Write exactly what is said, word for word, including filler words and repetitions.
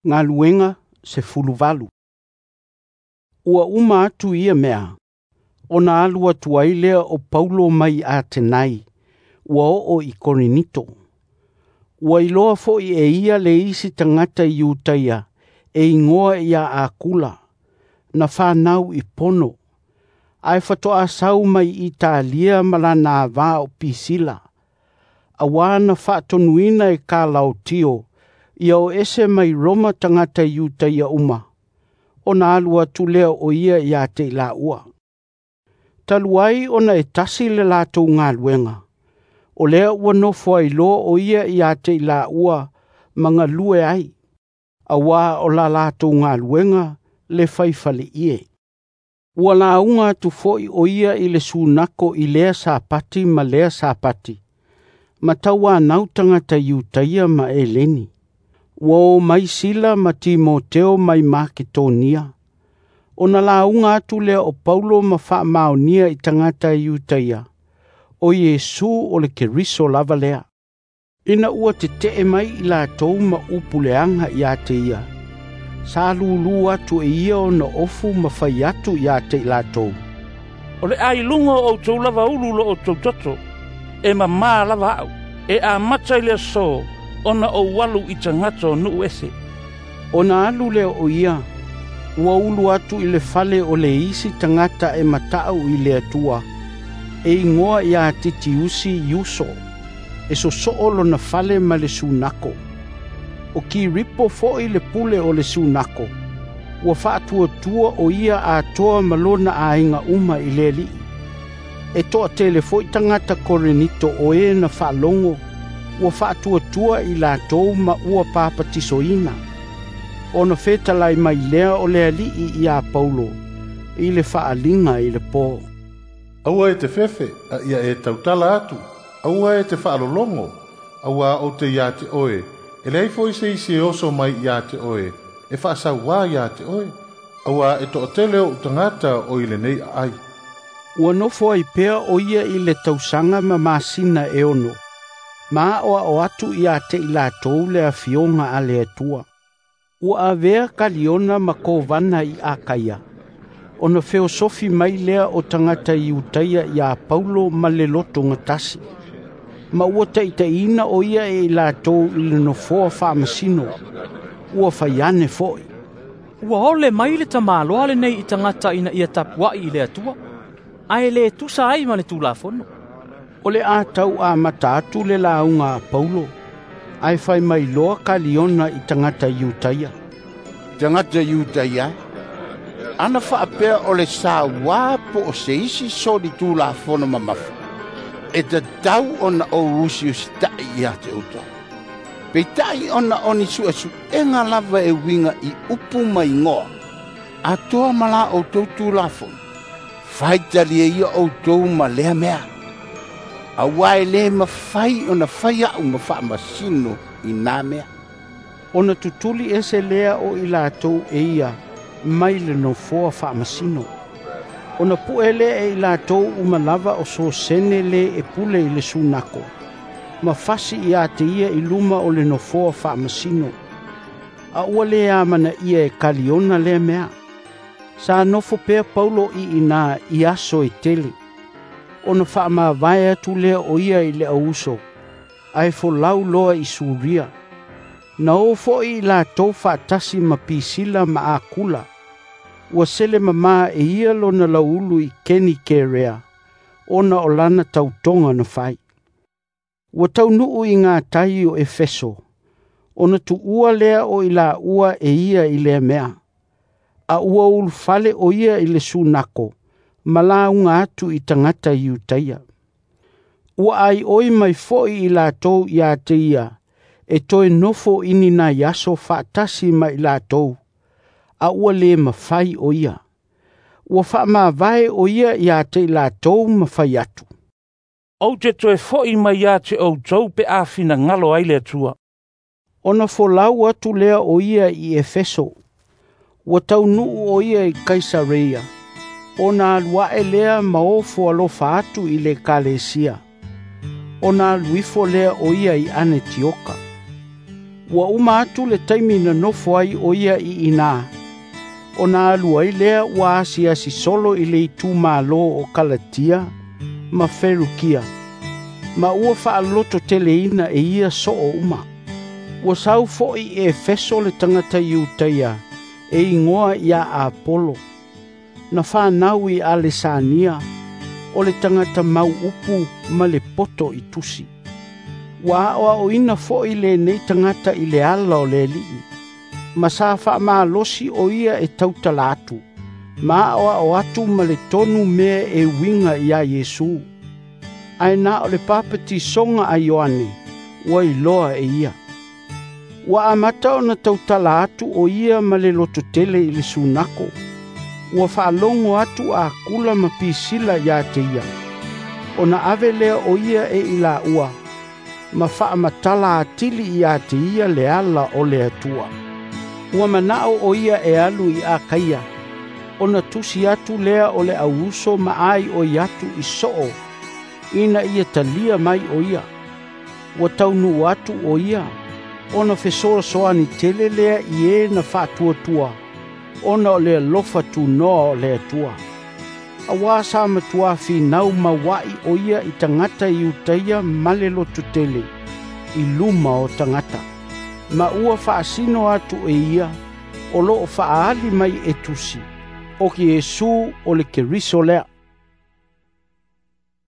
Galuega sefuluvalu. Ua uma atu ia mea, ona alu atu ai lea o Paulo mai Atenai, ua oo i Korinito. Ua iloa foi e ia le isi tagata Iutaia e igoa ia Akula, na fanau i Pono, ae faatoa sau mai Italia ma lana ava o Pisila, auā na faatonuina e Kalaotio ia o ese mai Roma tagata Iutaia uma, ona alu atu lea o ia ia te i laua. Talu ai ona e tasi le latou galuega, o lea ua nofo ai loa o ia ia te i laua ma galue ai, auā o la latou galuega le faifaleie. Ua lauga atu foi o ia i le sunako i lea Sapati ma lea Sapati, ma tauanau tagata Iutaia ma Eleni. Ua o mai Sila ma Timoteo mai Maketonia. Ona lauga atu lea o Paulo ma faamaonia i tagata Iutaia, o Iesu o le Keriso lava lea. Ina ua tetee mai i latou ma upu leaga ia te ia, sa lulu atu e ia ona ofu ma fai atu ia te i latou. O le ailuga o outou lava ulu lo outou toto, e mamā lava au, e amata i le aso, ona ou alu i tagata o nuu ese. Ona alu lea o ia, ua ulu atu i le fale o le isi tagata e matau i le Atua, e igoa ia Titiusi Iuso, e sosoo lona fale ma le sunako. O Kiripo foi le pule o le sunako, ua faatuatua o ia atoa ma lona aiga uma i le Alii. E toatele foi tagata Korinito o e na faalogo, ua faatuatua i latou ma ua papatisoina. Ona fetalai mai lea o le Alii ia Paulo, i le faaliga i le po. Aua e te fefe, a ia e tautala atu, aua e te faalologo, auā ou te ia te oe, e leai foi se isi e oso mai ia te oe, e faasauā ia te oe, auā e toatele ou tagata o i lenei aai. Ua nofo ai pea o ia i le tausaga ma masina e ono, ma aoao atu ia te i latou le afioga a le Atua. Ua avea Kaliona ma kovana i Akaia, ona feosofi mai lea o tagata Iutaia ia Paulo ma le loto gatasi. Ma ua taitaiina o ia e i latou i le nofoa faamasino, ua fai ane foi. Ua ole mai le tamaloa lenei i tagata ina ia tapuai i le Atua, ae le tusa ai ma le Tulafono. O le a tau amata atu le lauga a Paulo, ae fai mai loa Kaliona i tagata Iutaia. Tagata Iutaia, ana faapea o le sauā po o se isi soli Tulafono mamafa, e tatau ona ou usiusitai ia te outou. Peitai ona o ni suesuega lava e uiga i upu ma igoa, atoa ma la outou Tulafono, faitalia ia outou ma lea mea. Auā e lē mafai ona fai au ma faamasino i nā mea. Ona tutuli ese lea o i latou e ia mai le nofoa faamasino. Ona pue lea e i latou uma lava o Sosene le e pule i le sunako, ma fasi ia te ia i luma o le nofoa faamasino. A ua le amanaia e Kaliona lea mea. Sa nofo pea Paulo i ina i aso e tele. Ona faamavae atu lea o ia i le auuso, ae folau loa i Suria. Na o foi i latou faatasi ma Pisila ma Akula. Ua sele mamā e ia lona lauulu i Kenikerea, ona o lana tautoga na fai. Ua taunuu i ngā tai o Efeso, ona tuua lea o i laua e ia i lea mea. A ua ulufale o ia i le sunako, ma lauga atu i tagata Iutaia. Ua aioi mai foi i latou ia te ia, e toe nofo i ni nai aso faatasi ma i latou, a ua le mafai o ia. Ua faamavae o ia ia te i latou ma fai atu. Ou te toe foi mai ia te outou pe a finagalo ai le Atua. Ona folau atu lea o ia i Efeso. Ua taunuu o ia i Kaisareia, ona alu ae lea ma ofo alofa atu i le ekalesia. Ona alu ifo lea o ia i Anetioka. Ua uma atu le taimi na nofo ai o ia i ina, ona alu ai lea ua asiasi solo i le itumalo o Kalatia ma Ferukia, ma ua faalototeleina e ia soo uma. Ua sau foi i Efeso le tagata Iutaia e igoa ia Apolo, na fanau i Alesania, o le tagata mau upu ma le poto i tusi. Ua aoaoina foi lenei tagata i le ala o le Alii, ma sa faamalosi o ia e tautala atu, ma aoao atu ma le tonu mea e uiga ia Iesu. Ae na o le papatisoga a Ioane ua iloa e ia. Ua amata ona tautala atu o ia ma le lototele i le sunako. Ua faalogo atu a Akula ma Pisila ia te ia, ona ave lea o ia e ilaua, ma faamatala atili ia te ia le ala o le Atua. Ua manao o ia e alu i Akaia, ona tusi atu lea o le auuso ma ai o i atu i soo, ina ia talia mai o ia. Ua taunuu atu o ia, ona fesoasoani tele lea i e na faatuatua, ona o le alofa tunoa o le Atua. Auā sa matua finau maua'i o ia i tagata Iutaia ma le lototele i luma o tagata, ma ua faasino atu e ia o loo faaali mai e tusi, o Iesu o le Keriso lea.